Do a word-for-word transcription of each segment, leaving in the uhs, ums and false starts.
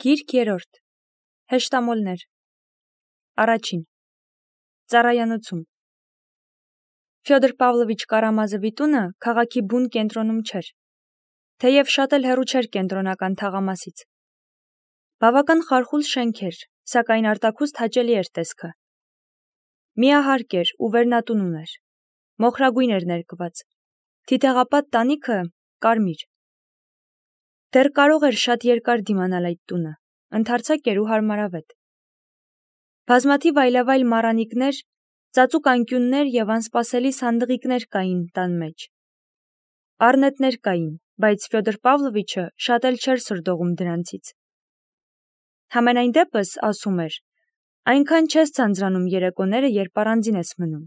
Գիրք երրորդ. Հեշտամոլներ. Առաջին. Ծառայանոցում. Ֆյոդոր Պավլովիչ Կարամազովի տունը քաղաքի բուն կենտրոնում չէր, թեև շատ էլ հեռու չէր կենտրոնական թաղամասից. բավական խարխուլ շենք էր, սակայն արտաքուստ հաճելի էր տեսքը. միահարկ էր ու վերնատուն ուներ, մոխրագույն էր ներկված, թիթեղապատ տանիքը կարմիր. դեռ կարող էր շատ երկար դիմանալ այդ տունը, ընդարձակ էր ու հարմարավետ. բազմաթիվ այլավայլ մառանիկներ, ծածուկ անկյուններ և անսպասելի սանդղիկներ կային տան մեջ. առնետներ կային, բայց Ֆյոդոր Պավլովիչը շատ էլ չէր սրդողում դրանցից. Համենայն դեպս, ասում էր, այնքան չես ձանձրանում երեկոները, երբ առանձին ես մնում.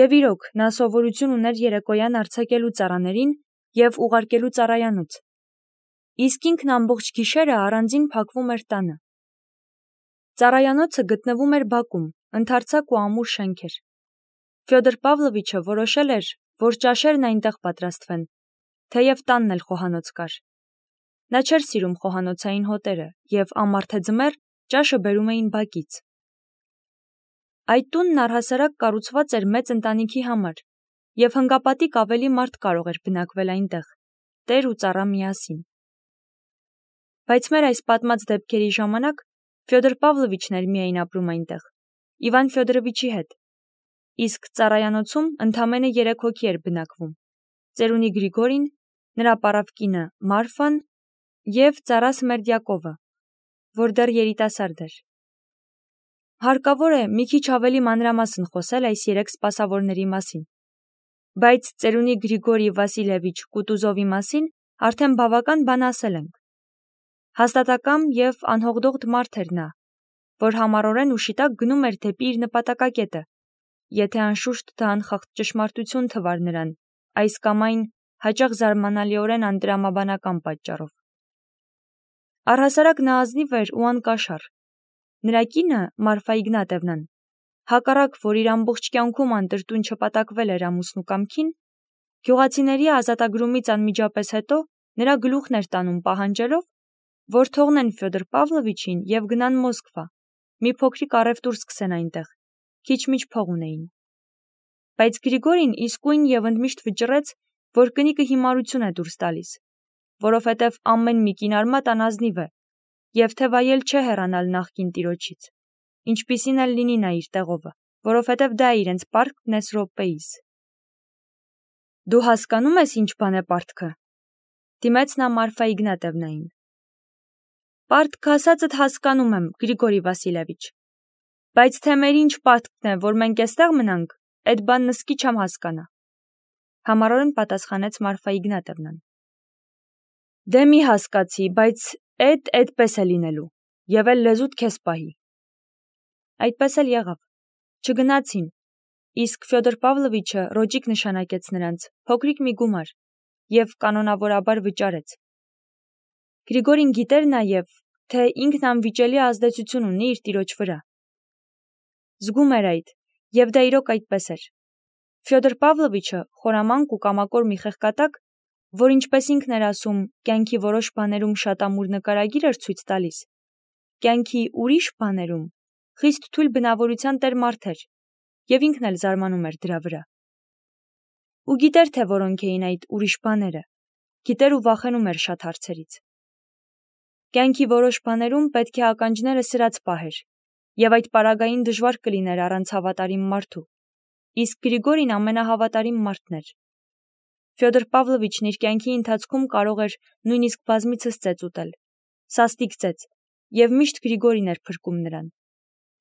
Եվ իրոք, նա սովորություն ուներ երեկոյան արձակելու ծառաներին և ուղարկելու ծառայանոց. իսկ ինքն ամբողջ գիշերը առանձին փակվում էր տանը. Ծառայանոցը գտնվում էր բակում, ընդարձակ ու ամուր շենք էր. Ֆյոդոր Պավլովիչը որոշել էր, որ ճաշերն այնտեղ պատրաստվեն, թեև տանն էլ խոհանոց կար. նա չէր սիրում խոհանոցային հոտերը և ամառթե ձմեռ ճաշը բերում էին բակից. Այդ տունն առհասարակ կառուցված էր մեծ ընտանիքի համար և հնգապատիկ ավելի մարդ կարող էր բնակվել այնտեղ, տեր ու ծառա միասին. Բայց մեր այս պատմած դեպքերի ժամանակ Ֆյոդոր Պավլովիչն էր միայն ապրում այնտեղ, Իվան Ֆյոդորովիչի հետ, իսկ ծառայանոցում ընդամենը երեք հոգի էր բնակվում. ծերունի Գրիգորին, նրա պառավ կինը Մարֆան և ծառա Սմերդյակովը, որ դեռ երիտասարդ էր. Հարկավոր է մի քիչ ավելի մանրամասն խոսել այս երեք սպասավորների մասին, բայց ծերունի Գրիգորի Վասիլևիչ Կուտուզովի մասին արդեն բավական բան ասել ենք. հաստատակամ և անհողդողդ մարդ էր նա, որ համառորեն ու շիտակ գնում էր դեպի իր նպատակակետը, եթե անշուշտ դա անխախտ ճշմարտություն թվար նրան, այս կամ այն հաճախ զարմանալիորեն անտրամաբանական պատճառով. Առհասարակ նա ազնիվ էր ու անկաշառ. նրա կինը Մարֆա Իգնատևնան, հակառակ որ իր ամբողջ կյանքում անտրտուն չպատակվել էր ամուսնու կամքին, գյուղացիների ազատագրումից անմիջապես հետո նրա գլուխն էր տանում պահանջելով, որ թողնեն Ֆյոդոր Պավլովիչին և գնան Մոսկվա, մի փոքրիկ առևտուր սկսեն այնտեղ, քիչ-միչ փող ունեին. Բայց Գրիգորին իսկույն և ընդմիշտ վճռեց, որ կնիկը հիմարություն է դուրս տալիս, որովհետև ամեն մի կինարմատ անազնիվ է, և թե վայել չէ հեռանալ նախկին տիրոջից, ինչպիսին էլ լինի նա իր տեղովը, որովհետև դա է իրենց պարտքն էս րոպեիս. Դու հասկանո՞ւմ ես ինչ բան է պարտքը, դիմեց նա Մարֆա Իգնատևնային. Պարտքը ասածդ հասկանում եմ, Գրիգորի Վասիլևիչ, բայց թե մեր ինչ պարտքն է, որ մենք էստեղ մնանք, էդ բանն ըսկի չեմ հասկանա, համառորեն պատասխանեց Մարֆա Իգնատևնան. դե մի հասկացի, բայց էդ էդպես է լինելու, և էլ լեզուդ քեզ պահի. Այդպես էլ եղավ, չգնացին, իսկ Ֆյոդոր Պավլովիչը ռոճիկ նշանակեց նրանց, փոքրիկ մի գումար, և կանոնավորաբար վճարեց. Գրիգորին գիտեր նաև, թե ինքն անվիճելի ազդեցություն ունի իր տիրոջ վրա. զգում էր այդ, և դա իրոք այդպես էր. Ֆյոդոր Պավլովիչը խորամանկ ու կամակոր մի խեղկատակ, որ ինչպես ինքն էր ասում, կյանքի որոշ բաներում շատ ամուր նկարագիր էր ցույց տալիս, կյանքի ուրիշ բաներում խիստ թույլ բնավորության տեր մարդ էր, և ինքն էլ զարմանում էր դրա վրա. Ու գիտեր, թե որոնք էին այդ ուրիշ բաները, գիտեր ու վախենում էր շատ հարցերից. Կյանքի որոշ բաներում պետք է ականջները սրած պահեր, և այդ պարագային դժվար կլիներ առանց հավատարիմ մարդու, իսկ Գրիգորին ամենահավատարիմ մարդն էր. Ֆյոդոր Պավլովիչն իր կյանքի ընթացքում կարող էր նույնիսկ բազմիցս ծեծ ուտել, սաստիկ ծեծ, և միշտ Գրիգորին էր փրկում նրան,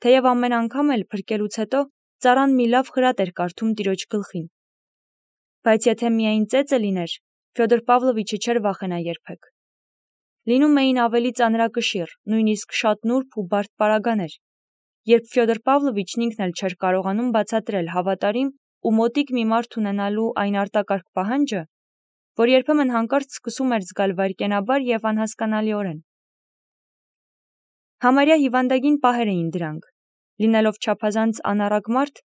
թեև ամեն անգամ էլ փրկելուց հետո ծառան մի լավ խրատ էր կարդում տիրոջ գլխին. Բայց եթե միայն ծեծը լիներ, Ֆյոդոր Պավլովիչը չէր վախենա երբեք. լինում էին ավելի ծանրակշիռ, նույնիսկ շատ նուրբ ու բարդ պարագաներ, երբ Ֆյոդոր Պավլովիչն ինքն էլ չէր կարողանում բացատրել հավատարիմ ու մոտիկ մի մարդ ունենալու այն արտակարգ պահանջը, որ երբեմն հանկարծ սկսում էր զգալ վայրկենաբար և անհասկանալիորեն. Համարյա հիվանդագին պահեր էին դրանք, լինելով չափազանց անառակ մարդ,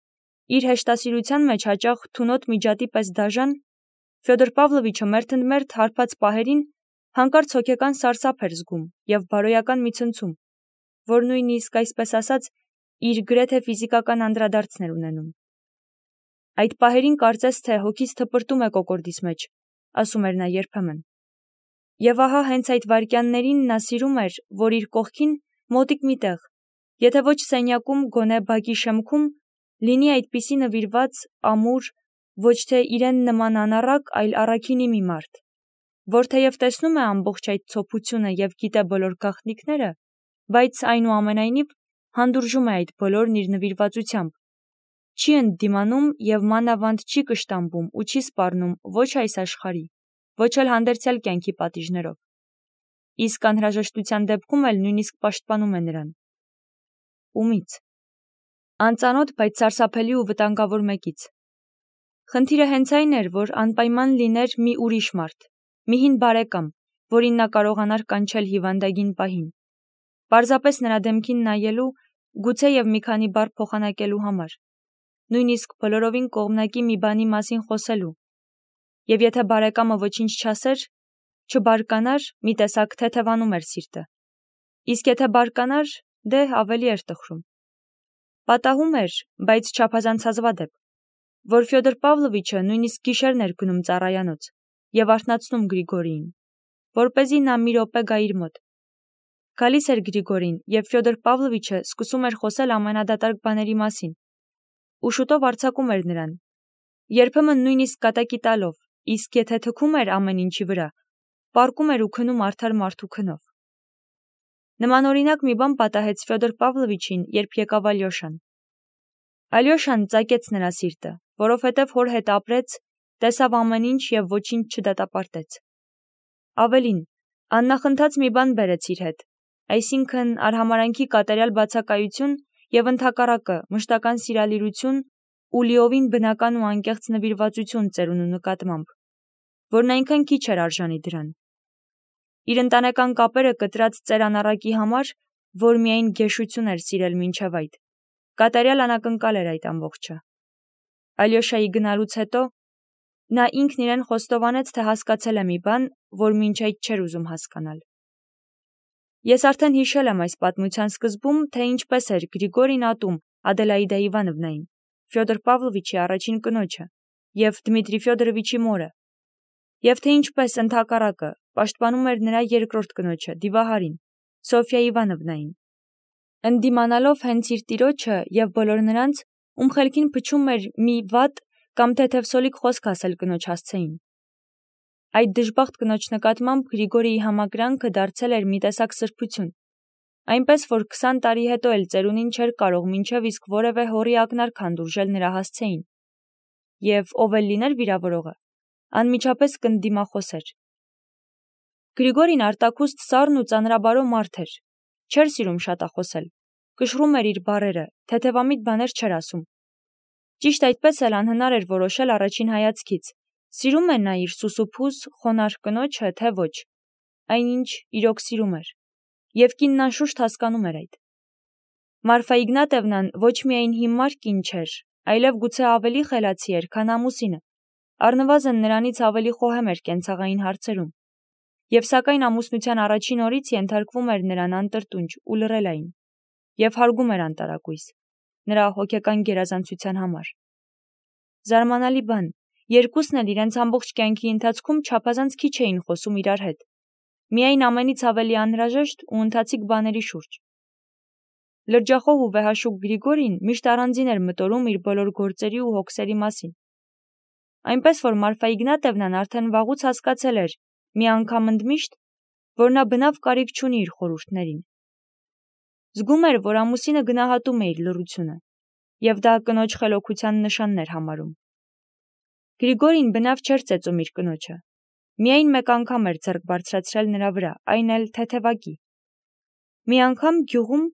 իր հեշտասիրության մեջ հաճախ թունոտ միջատի պես դաժան, Ֆյոդոր Պավլովիչը մերթընդմերթ հարբած պահերին հանկարծ հոգեկան սարսափ էր զգում և բարոյական մի ցնցում, որ նույնիսկ, այսպես ասած, իր գրեթե ֆիզիկական անդրադարձներ ունենում։ Այդ պահերին կարծես թե հոգիս թպրտում է կոկորդիս մեջ, ասում էր նա երբեմն։ Եվ ահա հենց այդ վայրկյաններին նա սիրում էր, որ իր կողքին մոտիկ մի տեղ, եթե ոչ սենյակում, գոնե բակի շեմքում, լինի այդպիսի նվիրված, ամուր, ոչ թե իրեն նման անառակ, այլ առաքինի մի մարդ, որ թեև տեսնում է ամբողջ այդ ցոփությունը և գիտե բոլոր գաղտնիքները, բայց այնուամենայնիվ հանդուրժում է այդ բոլորն իր նվիրվածությամբ, չի ընդդիմանում և մանավանդ չի կշտամբում ու չի սպառնում ոչ այս աշխարհի, ոչ էլ հանդերձյալ կյանքի պատիժներով։ Իսկ անհրաժեշտության դեպքում էլ նույնիսկ պաշտպանում է նրան։ Ումից։ Անծանոթ, բայց սարսափելի ու վտանգավոր մեկից։ Խնդիրը հենց այն էր, որ անպայման լիներ մի ուրիշ մարդ, մի հին բարեկամ, որին նա կարողանար կանչել հիվանդագին պահին, պարզապես նրա դեմքին նայելու, գուցե և մի քանի բառ փոխանակելու համար, նույնիսկ բոլորովին կողմնակի մի բանի մասին խոսելու, և եթե բարեկամը ոչինչ չասեր, չբարկանար, մի տեսակ թեթևանում էր սիրտը, իսկ եթե բարկանար, դե ավելի էր տխրում։ Պատահում էր, բայց չափազանց հազվադեպ, որ Ֆյոդոր Պավլովիչը նույնիսկ գիշերն էր գնում ծառայանոց և արթնացնում Գրիգորիին, որպեսզի նա մի րոպե գա իր մոտ։ Գալիս էր Գրիգորին, և Ֆյոդոր Պավլովիչը սկսում էր խոսել ամենադատարկ բաների մասին, ու շուտով արձակում էր նրան, երբեմն նույնիսկ կատակի տալով, իսկ եթե թքում էր ամեն ինչի վրա, պառկում էր ու քնում արդար մարդու քնով։ Նմանօրինակ մի բան պատահեց Ֆյոդոր Պավլովիչին, երբ եկավ Ալյոշան։ Ալյոշան ծակեց նրա սիրտը, որովհետև հոր հետ ապրեց, տեսավ ամեն ինչ և ոչինչ չդատապարտեց։ Ավելին, աննախընթաց մի բան բերեց իր հետ, այսինքն արհամարհանքի կատարյալ բացակայություն և ընդհակառակը մշտական սիրալիրություն ու լիովին բնական ու անկեղծ նվիրվածություն ծերունու նկատմամբ, որն այնքան քիչ էր արժանի դրան։ Իր ընտանեկան կապերը կտրած ծեր անառակի համար, որ միայն գեշություն էր սիրել մինչև այդ, կատարյալ անակնկալ էր այդ ամբողջը։ Ալյոշայի գնալուց հետո նա ինքն իրեն խոստովանեց, թե հասկացել է մի բան, որ մինչ այդ չէր ուզում հասկանալ։ Ես արդեն հիշել եմ այս պատմության սկզբում, թե ինչպես էր Գրիգորին ատում Ադելաիդա Իվանովնային, Ֆյոդոր Պավլովիչի առաջին կնոջը, և Դմիտրի Ֆյոդորովիչի մորը, և թե ինչպես ընդհակառակը պաշտպանում էր նրա երկրորդ կնոջը, Դիվահարին, Սոֆյա Իվանովնային, ընդդիմանալով հենց իր տիրոջը և բոլոր նրանց, ում խելքին փչում էր մի վատ կամ թեթևսոլիկ խոսք ասել կնոջ հասցեին։ Այդ դժբախտ կնոջ նկատմամբ Գրիգորիի համակրանքը դարձել էր մի տեսակ սրբություն, այնպես որ քսան տարի հետո էլ ծերունին չէր կարող մինչև իսկ որևէ հորի ակնարկ հանդուրժել նրա հասցեին, և ով էլ լիներ վիրավորողը, անմիջապես կընդդիմախոսեր։ Գրիգորին արտաքուստ սառն ու ծանրաբարո մարդ էր, չէր սիրում շատախոսել, կշռում էր իր բառերը, թեթևամիտ բաներ չէր ասում։ Ճիշտ այդպես էլ անհնար էր որոշել առաջին հայացքից, սիրում է նա իր սուսուփուզ, խոնարհ կնոջը, թե ոչ, այնինչ իրոք սիրում էր, և կինն անշուշտ հասկանում էր այդ։ Մարֆա Իգնատևնան ոչ միայն հիմար կին չէր, այլև գուցե ավելի խելացի էր, քան ամուսինը, առնվազն նրանից ավելի խոհեմ էր կենցաղային հարցերում, և սակայն ամուսնության առաջին օրից ենթարկվում էր նրան անտրտունջ ու լռելային, և հարգում էր անտարակույս, նրա հոգեկան գերազանցության համար։ Զարմանալի բան, երկուսն էլ իրենց ամբողջ կյանքի ընթացքում չափազանց քիչ էին խոսում իրար հետ, միայն ամենից ավելի անհրաժեշտ ու ընթացիկ բաների շուրջ։ Լրջախոհ ու վեհաշուկ Գրիգորին միշտ առանձին էր մտորում իր բոլոր գործերի ու հոգսերի մասին, այնպես որ Մարֆա Իգնատևնան արդեն վաղուց հասկացել էր մի անգամ ընդմիշտ, որ նա բնավ կարիք չունի իր խորհուրդներին։ Զգում էր, որ ամուսինը գնահատում է իր լռությունը, և դա կնոջ խելոքության նշանն էր համարում։ Գրիգորին բնավ չէր ծեծում իր կնոջը, միայն մեկ անգամ էր ձեռք բարձրացրել նրա վրա, այն էլ թեթևակի։ Մի անգամ գյուղում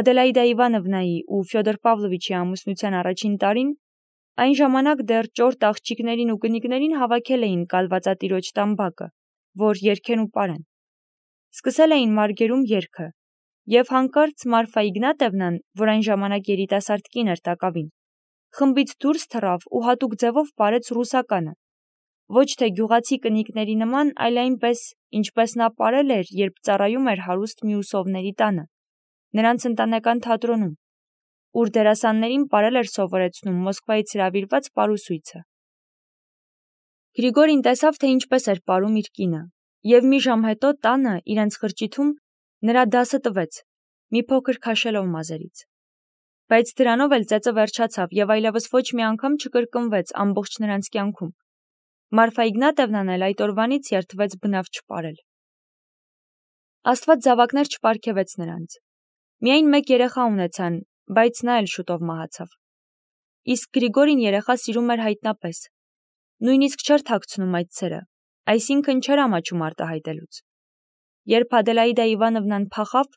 Ադելաիդա Իվանովնայի ու Ֆյոդոր Պավլովիչի ամուսնության առաջին տարին, այն ժամանակ դեռ ճորտ աղջիկներին ու կնիկներին հավաքել էին կալվածատիրոջ տամբակը, որ երգեն ու պարեն։ Սկսել էին մարգերում երգը, և հանկարծ Մարֆա Իգնատևնան, որ այն ժամանակ երիտասարդ կին էր տակավին, խմբից դուրս թռավ ու հատուկ ձևով պարեց ռուսականը, ոչ թե գյուղացի կնիկների նման, այլ այնպես, ինչպես նա ապրել էր, երբ ծառայում էր հարուստ մյուսովների տանը, նրանց ընտանեկան թատրոնում, ուր դերասաններին պարել էր սովորեցնում Մոսկվայից հրավիրված պարուսույցը։ Գրիգորին տեսավ, թե ինչպես էր պարում իր կինը, և մի ժամ հետո տանը, իրենց խրճիթում, նրա դասը տվեց, մի փոքր քաշելով մազերից։ Բայց դրանով էլ ծեծը վերջացավ և այլևս ոչ մի անգամ չկրկնվեց ամբողջ նրանց կյանքում։ Մարֆա Իգնատևնան էլ այդ օրվանից երդվեց բնավ չպարել։ Աստված զավակներ չպարգևեց նրանց։ Միայն մեկ երեխա ունեցան, բայց նա էլ շուտով մահացավ։ Իսկ Գրիգորին երեխա սիրում էր հայտնապես։ Նույնիսկ չէր թաքցնում այդ սերը, այսինքն չէր ամաչում արտահայտելուց։ Երբ Ադելաիդա Իվանովնան փախավ,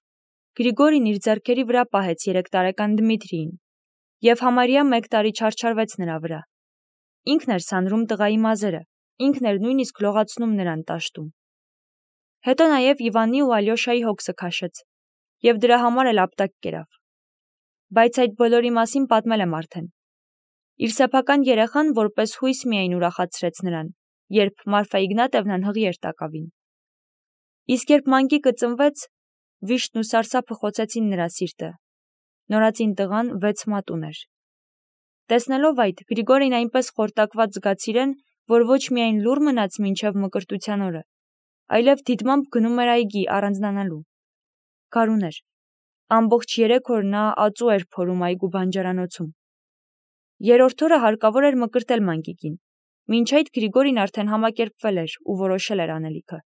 Գրիգորին իր ձեռքերի վրա պահեց երեք տարեկան Դմիթրիին և համարյա մեկ տարի չարչարվեց նրա վրա։ Ինքն էր սանրում տղայի մազերը, ինքն էր նույնիսկ լողացնում նրան տաշտում։ Հետո նաև Իվանի ու Ալյոշայի հոգսը քաշեց և դրա համար էլ ապտակ կերավ։ Բայց այդ բոլորի մասին պատմել եմ արդեն։ Իր սեփական երեխան որպես հույս միայն ուրախացրեց նրան, երբ Մարֆա Իգնատևնան հղի էր տակավին։ Իսկ երբ մանկիկը ծնվեց, վիշտն ու սարսափը խոցեցին նրա սիրտը։ Նորածին տղան վեց մատ ուներ։ Տեսնելով այդ, Գրիգորին այնպես խորտակված զգաց իրեն, որ ոչ միայն լուռ մնաց մինչև մկրտության օրը, այլև դիտմամբ գնում էր այգի առանձնանալու։ Գարուն էր։ Ամբողջ երեք օր նա ածու էր փորում այգու բանջարանոցում։ Երրորդ օրը հարկավոր էր մկրտել մանկիկին։ Մինչ այդ Գրիգորին արդեն համակերպվել էր ու որոշել էր անելիքը։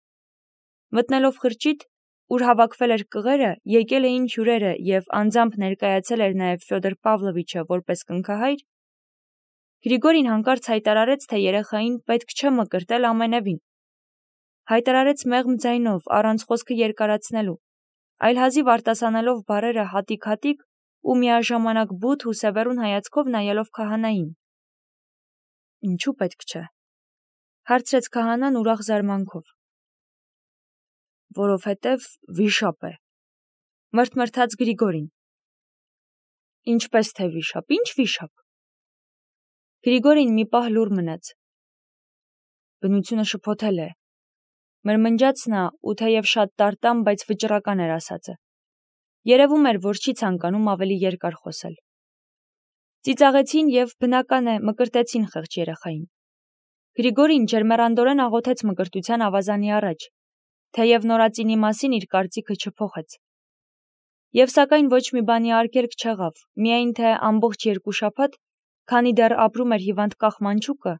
Մտնելով խրճիթ, ուր հավաքվել էր կղերը, եկել էին հյուրերը և անձամբ ներկայացել էր նաև Ֆյոդոր Պավլովիչը որպես կնքահայր, Գրիգորին հանկարծ հայտարարեց, թե երեխային պետք չէ մկրտել ամենևին։ Հայտարարեց մեղմ ձայնով, առանց խոսքը երկարացնելու, այլ հազիվ արտասանելով բառերը հատիկ-հատիկ ու միաժամանակ բութ ու սևեռուն հայացքով նայելով քահանային։ Ինչու պետք չէ, հարցրեց քահանան ուրախ զարմանքով։ Որովհետև վիշապ է, մրթմրթաց Գրիգորին։ Ինչպես թե վիշապ, ինչ վիշապ։ Գրիգորին մի պահ լուռ մնաց։ Բնությունը շփոթել է, մրմնջաց նա ու թեև շատ տարտամ, բայց վճռական էր ասածը։ Երևում էր, որ չի ցանկանում ավելի երկար խոսել։ Ծիծաղեցին և, բնական է, մկրտեցին խեղճ երեխային։ Գրիգորին ջերմեռանդորեն աղոթեց մկրտության ավազանի առաջ, թեև նորածինի մասին իր կարծիքը չփոխեց։ Եվ սակայն ոչ մի բանի արգելք չեղավ, միայն թե ամբողջ երկու շաբաթ, քանի դեռ ապրում էր հիվանդ կախ մանչուկը,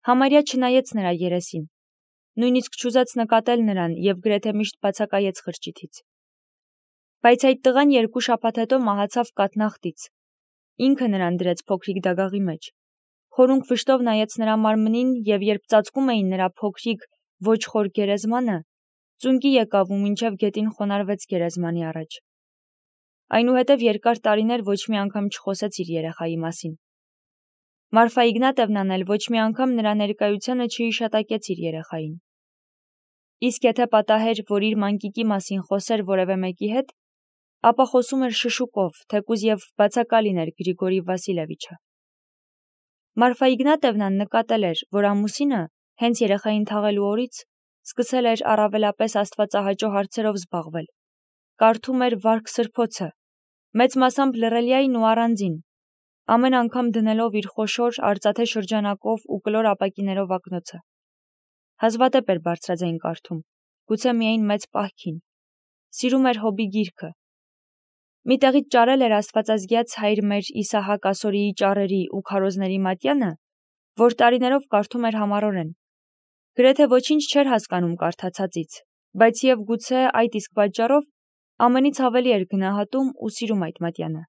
համարյա չնայեց նրա երեսին, նույնիսկ չուզեց նկատել նրան և գրեթե միշտ բացակայեց խրճիթից։ Բայց այդ տղան երկու շաբաթ հետո մահացավ կաթնախտից։ Ինքը նրան դրեց փոքրիկ դագաղի մեջ, խորունկ վշտով նայեց նրա մարմնին և երբ ծածկում էին նրա փոքրիկ ոչ խոր գերեզմանը, ծունկի եկավ ու մինչև գետին խոնարհվեց գերեզմանի առաջ։ Այնուհետև երկար տարիներ ոչ մի անգամ չխոսեց իր երեխայի մասին։ Մարֆա Իգնատևնան էլ ոչ մի անգամ նրա ներկայությանը չհիշատակեց իր երեխային։ Իսկ եթե պատահեր, որ իր մանկիկի մասին խոսեր որևէ մեկի հետ, ապա խոսում էր շշուկով, թեկուզ և բացակա լիներ Գրիգորի Վասիլևիչը։ Մարֆա Իգնատևնան նկատել էր, որ ամուսինը, հենց երեխային թաղելու օրից, սկսել էր առավելապես աստվածահաճո հարցերով զբաղվել, կարդում էր վարք սրբոցը, մեծ մասամբ լռելյային ու առանձին, ամեն անգամ դնելով իր խոշոր, արծաթե շրջանակով ու կլոր ապակիներով ակնոցը։ Հազվադեպ էր բարձրաձայն կարդում, գուցե միայն մեծ պահքին։ Սիրում էր Հոբի գիրքը։ Մի տեղից ճարել էր աստվածազգյաց հայր մեր Իսահակ Ասորիի ճառերի ու քարոզների մատյանը, որ տարիներով կարդում էր համառորեն։ Գրեթե ոչինչ չէր հասկանում կարդացածից, բայց և գուցե այդ իսկ պատճառով ամենից ավելի էր գնահատում ու սիրում այդ մատյանը։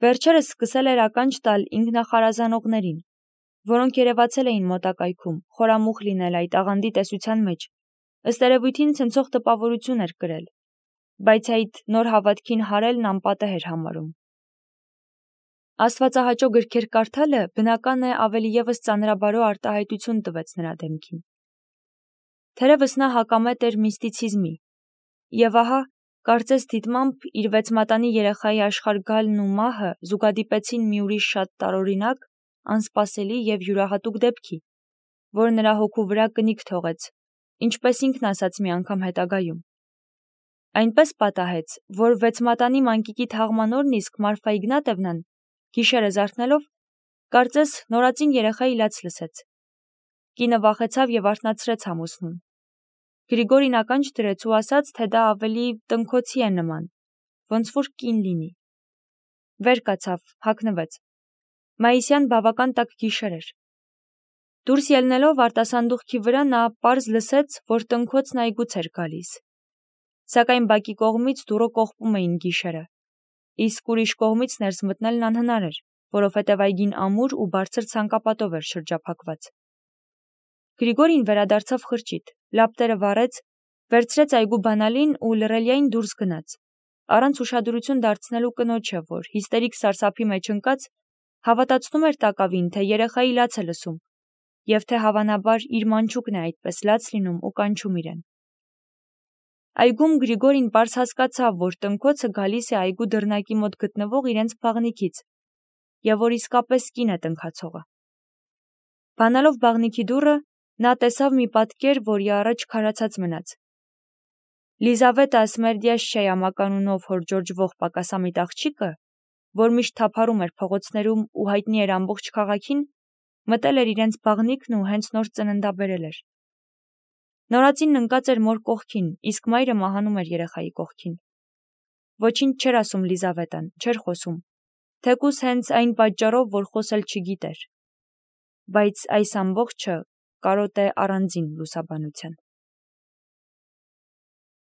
Վերջերս սկսել էր ականջ տալ ինքնախարազանողներին, որոնք երևացել էին մոտակայքում, խորամուխ լինել այդ աղանդի տեսության մեջ, ըստ երևույթին ցնցող տպավորություն էր կրել, բայց այդ նոր հավատքին հարելն անպատեհ էր համարում։ Աստվածահաճո գրքեր կարդալը, բնական է, ավելի ևս ծանրաբարո արտահայտություն տվեց նրա դեմքին։ Թերևս նա հակամետ էր միստիցիզմի, և ահա, կարծես դիտմամբ, իր վեցմատանի երեխայի աշխարհ գալն ու մահը զուգադիպեցին մի ուրիշ շատ տարօրինակ, անսպասելի և յուրահատուկ դեպքի, որ նրա հոգու վրա կնիք թողեց, ինչպես ինքն ասաց մի անգամ հետագայում։ Այնպես պատահեց, որ վեցմատանի մանկիկի թաղման օրն իսկ Մարֆա Իգնատևնան, գիշերը զարթնելով, կարծես նորածին երեխայի լաց լսեց։ Կինը վախեցավ եւ արթնացրեց ամուսնուն։ Գրիգորին ականջ դրեց ու ասաց, թե դա ավելի տնքոցի է նման, ոնց որ կին լինի։ Վեր կացավ, հագնվեց։ Մայիսյան բավական տաք գիշեր էր։ Դուրս ելնելով արտասանդուղքի վրա նա պարզ լսեց, որ տնքոցն այգուց էր գալիս։ Սակայն բակի կողմից դուռը կողպում էին գիշերը, իսկ ուրիշ կողմից ներս մտնելն անհնար էր, որովհետև այգին ամուր ու բարձր ցանկապատով էր շրջափակված։ Գրիգորին վերադարձավ խրճիթ, լապտերը վառեց, վերցրեց այգու բանալին ու լռելիային դուրս գնաց, առանց ուշադրություն դարձնելու կնոջը, որ հիստերիկ սարսափի մեջ ընկած, հավատացնում էր տակավին, թե երեխայի լաց է լսում, և թե հավանաբար իր մանչուկն է այդպես լաց լինում ու կանչում իրեն։ Այգում Գրիգորին պարզ հասկացավ, որ տնքոցը գալիս է այգու դռնակի մոտ գտնվող իրենց բաղնիքից, և որ իսկապես կին է տնքացողը։ Բանալով բաղնիքի դուռը, նա տեսավ մի պատկեր, որի առաջ քարացած մնաց։ Լիզավետա Սմերդյաշչայա մականունով հորջորջվող պակասամիտ աղջիկը, որ միշտ թափառում էր փողոցներում ու հայտնի էր ամբողջ քաղաքին, մտել էր իրենց բաղնիքն ու հենց նոր ծննդաբերել էր։ Նորածինն ընկած էր մոր կողքին, իսկ մայրը մահանում էր երեխայի կողքին։ Ոչինչ չէր ասում Լիզավետան, չէր խոսում, թեկուզ հենց այն պատճառով, որ խոսել չգիտեր։ Բայց այս ամբողջը կարոտ է առանձին լուսաբանության։